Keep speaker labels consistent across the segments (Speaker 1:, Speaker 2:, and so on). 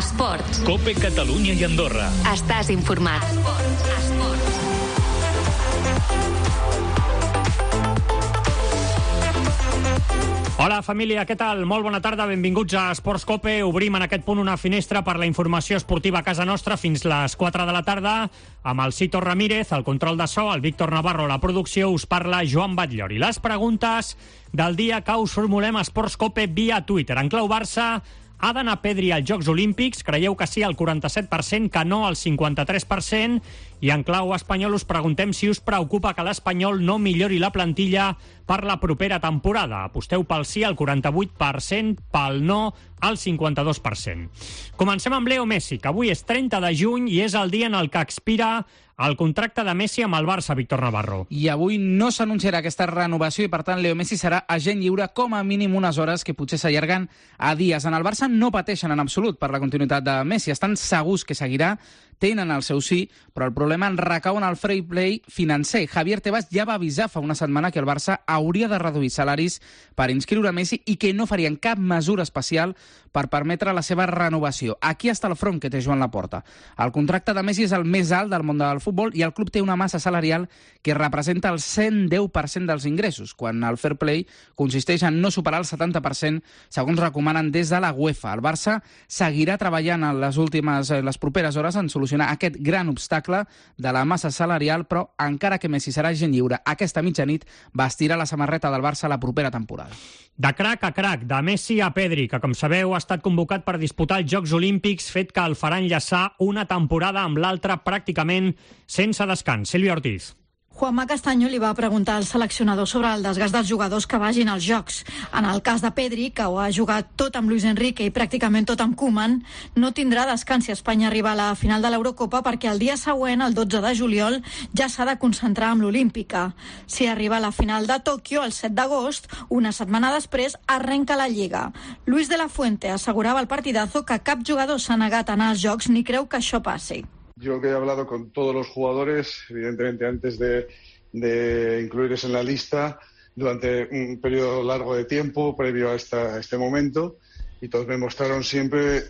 Speaker 1: Esports.
Speaker 2: COPE Catalunya i Andorra.
Speaker 1: Estàs informat.
Speaker 3: Hola, família, què tal? Molt bona tarda, benvinguts a Esports COPE. Obrim en aquest punt una finestra per la informació esportiva a casa nostra fins les 4 de la tarda. Amb el Cito Ramírez, el control de so, el Víctor Navarro, la producció, us parla Joan Batllori. Les preguntes del dia que us formulem a Esports COPE via Twitter. En clau Barça, ha d'anar Pedri als Jocs Olímpics? Creieu que sí al 47%, que no al 53%? I en clau espanyol us preguntem si us preocupa que l'Espanyol no millori la plantilla per la propera temporada. Aposteu pel sí al 48%, pel no al 52%. Comencem amb Leo Messi, que avui és 30 de juny i és el dia en el que expira el contracte de Messi amb el Barça, Víctor Navarro.
Speaker 4: I avui no s'anunciarà aquesta renovació i, per tant, Leo Messi serà agent lliure com a mínim unes hores que potser s'allarguen a dies. En el Barça no pateixen en absolut per la continuïtat de Messi. Estan segurs que seguirà, tenen el seu sí, però el problema en recau en el fair play financer. Javier Tebas ja va avisar fa una setmana que el Barça hauria de reduir salaris per inscriure Messi i que no farien cap mesura especial per permetre la seva renovació. Aquí està el front que té Joan Laporta. El contracte de Messi és el més alt del món del futbol i el club té una massa salarial que representa el 110% dels ingressos, quan el fair play consisteix en no superar el 70%, segons recomanen des de la UEFA. El Barça seguirà treballant en les properes hores en solucionar aquest gran obstacle de la massa salarial, però encara que Messi serà agent lliure aquesta mitjanit, vestirà la samarreta del Barça la propera temporada.
Speaker 3: De crac a crac, de Messi a Pedri, que com sabeu ha estat convocat per disputar els Jocs Olímpics, fet que el farà enllaçar una temporada amb l'altra pràcticament sense descans. Sílvia Ortiz.
Speaker 5: Juanma Castaño li va preguntar al seleccionador sobre el desgast dels jugadors que vagin als Jocs. En el cas de Pedri, que ho ha jugat tot amb Luis Enrique i pràcticament tot amb Koeman, no tindrà descans si Espanya arriba a la final de l'Eurocopa perquè el dia següent, el 12 de juliol, ja s'ha de concentrar amb l'Olímpica. Si arriba a la final de Tòquio, el 7 d'agost, una setmana després, arrenca la Lliga. Luis de la Fuente assegurava al Partidazo que cap jugador s'ha negat a anar als Jocs ni creu que això passi.
Speaker 6: Yo que he hablado con todos los jugadores, evidentemente antes de incluirles en la lista, durante un periodo largo de tiempo previo a este momento, y todos me mostraron siempre,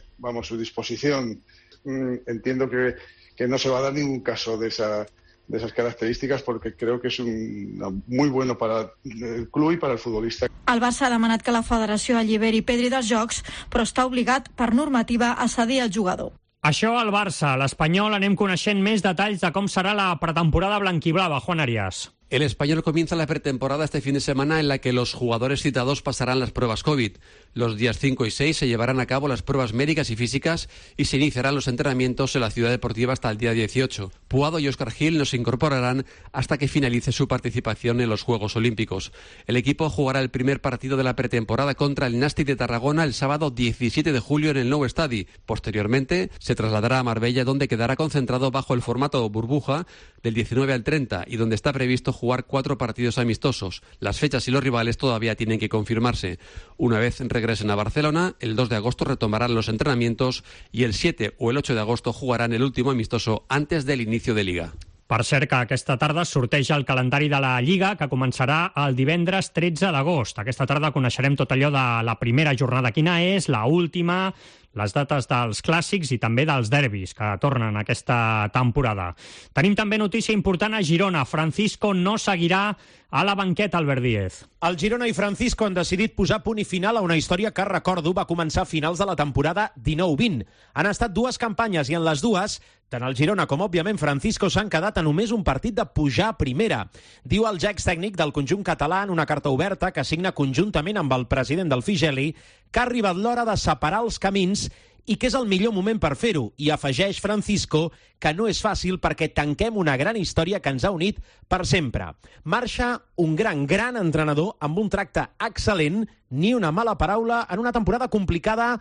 Speaker 6: su disposición. Entiendo que no se va a dar ningún caso de esas características porque creo que es muy bueno para el club y para el futbolista.
Speaker 5: El Barça ha demanat que la federació alliberi Pedri dels Jocs, però està obligat per normativa a cedir el jugador.
Speaker 3: Això al Barça. A l'Espanyol anem coneixent més detalls de com serà la pretemporada blanquiblava. Juan Arias.
Speaker 7: El Español comienza la pretemporada este fin de semana en la que los jugadores citados pasarán las pruebas COVID. Los días 5 y 6 se llevarán a cabo las pruebas médicas y físicas y se iniciarán los entrenamientos en la ciudad deportiva hasta el día 18. Puado y Óscar Gil no se incorporarán hasta que finalice su participación en los Juegos Olímpicos. El equipo jugará el primer partido de la pretemporada contra el Nàstic de Tarragona el sábado 17 de julio en el Nou Estadi. Posteriormente se trasladará a Marbella, donde quedará concentrado bajo el formato burbuja del 19 al 30 y donde está previsto jugar 4 partidos amistosos. Las fechas y los rivales todavía tienen que confirmarse. Una vez regresen a Barcelona, el 2 de agosto retomarán los entrenamientos y el 7 o el 8 de agosto jugarán el último amistoso antes del inicio de Liga.
Speaker 3: Per cert, que aquesta tarda sorteja el calendari de la Lliga, que començarà el divendres 13 d'agost. Aquesta tarda coneixerem tot allò de la primera jornada, quina és, la última, les dates dels clàssics i també dels derbis que tornen aquesta temporada. Tenim també notícia important a Girona. Francisco no seguirà a la banqueta, Albert Díez.
Speaker 8: El Girona i Francisco han decidit posar punt i final a una història que, recordo, va començar a finals de la temporada 19-20. Han estat 2 campanyes i en les dues, tant el Girona com, òbviament, Francisco s'han quedat a només un partit de pujar a primera. Diu el ja extècnic del conjunt català en una carta oberta que signa conjuntament amb el president del Figeli que ha arribat l'hora de separar els camins i que és el millor moment per fer-ho. I afegeix Francisco que no és fàcil perquè tanquem una gran història que ens ha unit per sempre. Marxa un gran entrenador amb un tracte excel·lent, ni una mala paraula, en una temporada complicada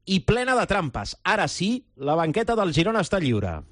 Speaker 8: i plena de trampes. Ara sí, la banqueta del Girona està lliure.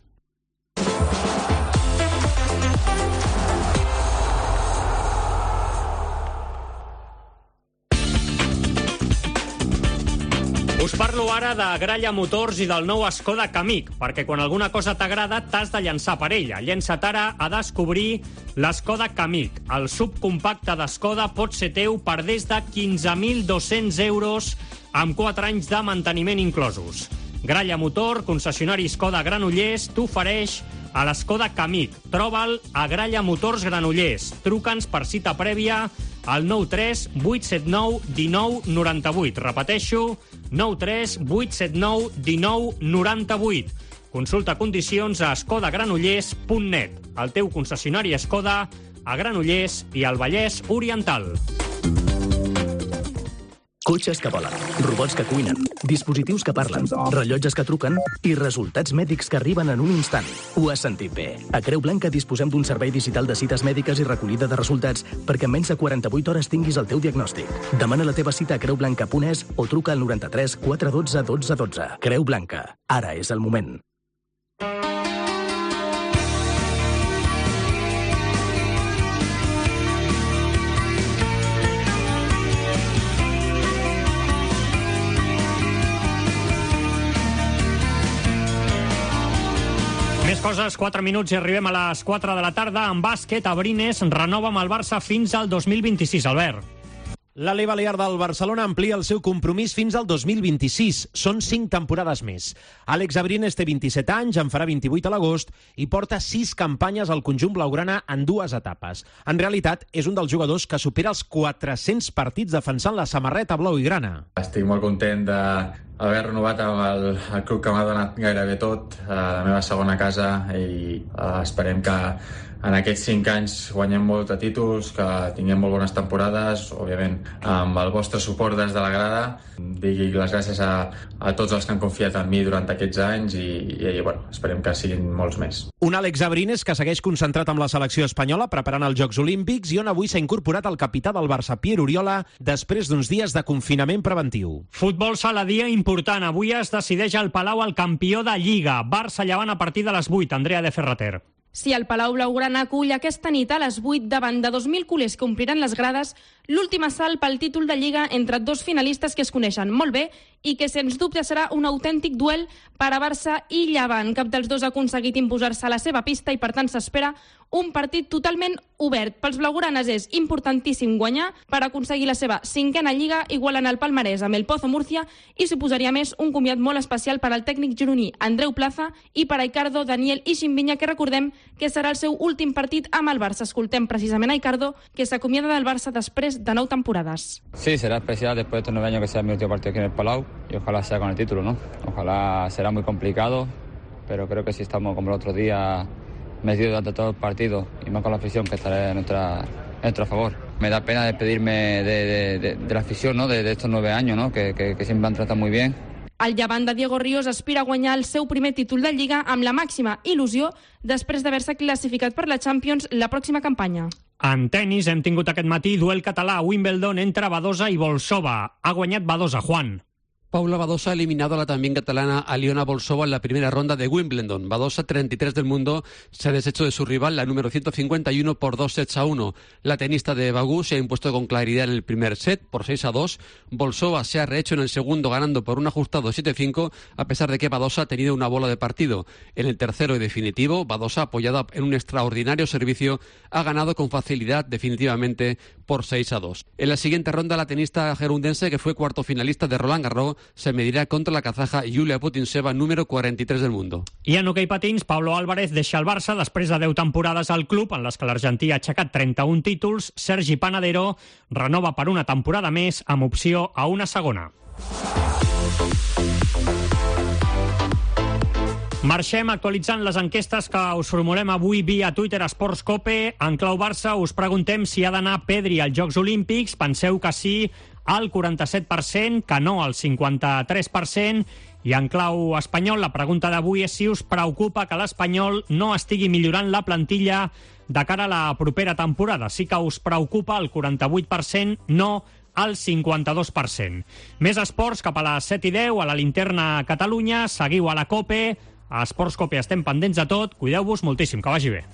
Speaker 3: Us parlo ara de Gralla Motors i del nou Skoda Kamiq, perquè quan alguna cosa t'agrada t'has de llançar per ella. Llença't ara a descobrir l'Skoda Kamiq. El subcompacte d'Skoda pot ser teu per des de 15.200 euros amb 4 anys de manteniment inclosos. Gralla Motor, concessionari Skoda Granollers, t'ofereix a l'Skoda Kamiq. Troba'l a Gralla Motors Granollers. Truca'ns per cita prèvia al 93 879 19 98. Repeteixo, 93 879 19 98. Consulta condicions a skodagranollers.net. El teu concessionari Skoda a Granollers i al Vallès Oriental.
Speaker 1: Cotxes que volen, robots que cuinen, dispositius que parlen, rellotges que truquen i resultats mèdics que arriben en un instant. Ho has sentit bé. A Creu Blanca disposem d'un servei digital de cites mèdiques i recollida de resultats perquè en menys de 48 hores tinguis el teu diagnòstic. Demana la teva cita a creublanca.es o truca al 93 412 12 12. Creu Blanca. Ara és el moment.
Speaker 3: Més coses, 4 minuts i arribem a les 4 de la tarda. En bàsquet, Abrines renova amb el Barça fins al 2026, Albert.
Speaker 8: L'Ale Balear del Barcelona amplia el seu compromís fins al 2026. Són 5 temporades més. Àlex Abrines té 27 anys, en farà 28 a l'agost i porta 6 campanyes al conjunt blaugrana en 2 etapes. En realitat, és un dels jugadors que supera els 400 partits defensant la samarreta blau i grana.
Speaker 2: Estic molt content d'haver renovat amb el club que m'ha donat gairebé tot, la meva segona casa, i esperem que en aquests 5 anys guanyem molts de títols, que tinguem molt bones temporades, òbviament amb el vostre suport des de la grada. Digui les gràcies a tots els que han confiat en mi durant aquests anys i bueno, esperem que siguin molts més.
Speaker 8: Un Àlex Abrines que segueix concentrat amb la selecció espanyola preparant els Jocs Olímpics i on avui s'ha incorporat el capità del Barça, Pierre Oriola, després d'uns dies de confinament preventiu.
Speaker 3: Futbol sala, dia important. Avui es decideix al Palau el campió de Lliga. Barça-Llevant a partir de les 8. Andrea de Ferrater.
Speaker 9: Si el Palau Blaugrana acull aquesta nit a les 8 davant de 2.000 culers que ompliran les grades, l'últim assalt pel títol de Lliga entre dos finalistes que es coneixen molt bé i que sens dubte serà un autèntic duel per a Barça i Llevant. Cap dels dos ha aconseguit imposar-se a la seva pista i per tant s'espera un partit totalment obert. Pels blaugranes és importantíssim guanyar per aconseguir la seva 5a Lliga, igualant el palmarès amb el Pozo Múrcia, i suposaria més un comiat molt especial per al tècnic gironí Andreu Plaza i per a Icardo, Daniel i Ximbinya, que recordem que serà el seu últim partit amb el Barça. Escoltem precisament a Icardo, que s'acomiada del Barça després de 9 temporades.
Speaker 10: Sí, será especial después de estos 9 años que sea mi último partido aquí en el Palau y ojalá sea con el título, ¿no? Ojalá será muy complicado, pero creo que si estamos como el otro día metidos durante todo el partido y más con la afición, que estará en nuestro favor. Me da pena despedirme de la afición, ¿no? De estos 9 años, ¿no? Que siempre me han tratado muy bien.
Speaker 9: El Llevant de Diego Ríos aspira a guanyar el seu primer títol de Lliga amb la màxima il·lusió després d'haver-se classificat per la Champions la pròxima campanya.
Speaker 3: En tenis hem tingut aquest matí duel català a Wimbledon entre Badosa i Bolsova. Ha guanyat Badosa, Juan.
Speaker 7: Paula Badosa ha eliminado a la también catalana Aliona Bolsova en la primera ronda de Wimbledon. Badosa, 33 del mundo, se ha deshecho de su rival, la número 151, por 2-1. La tenista de Bagú se ha impuesto con claridad en el primer set por 6-2. Bolsova se ha rehecho en el segundo, ganando por un ajustado 7-5, a pesar de que Badosa ha tenido una bola de partido. En el tercero y definitivo, Badosa, apoyada en un extraordinario servicio, ha ganado con facilidad definitivamente por 6-2. En la siguiente ronda, la tenista gerundense, que fue cuarto finalista de Roland Garros, se medirà contra la kazaja Yulia Putintseva, número 43 del mundo.
Speaker 3: I en hoquei patins, Pablo Álvarez deixa el Barça després de 10 temporades al club, en les que l'argentí ha aixecat 31 títols. Sergi Panadero renova per una temporada més amb opció a una segona. Marxem actualitzant les enquestes que us formulem avui via Twitter Esports Cope. En clau Barça us preguntem si ha d'anar Pedri als Jocs Olímpics. Penseu que sí al 47%, que no al 53%. I en clau espanyol, la pregunta d'avui és si us preocupa que l'Espanyol no estigui millorant la plantilla de cara a la propera temporada. Sí que us preocupa el 48%, no al 52%. Més esports cap a les 7:10 a la Linterna Catalunya. Seguiu a la COPE. A Esports Cope estem pendents de tot. Cuideu-vos moltíssim, que vagi bé.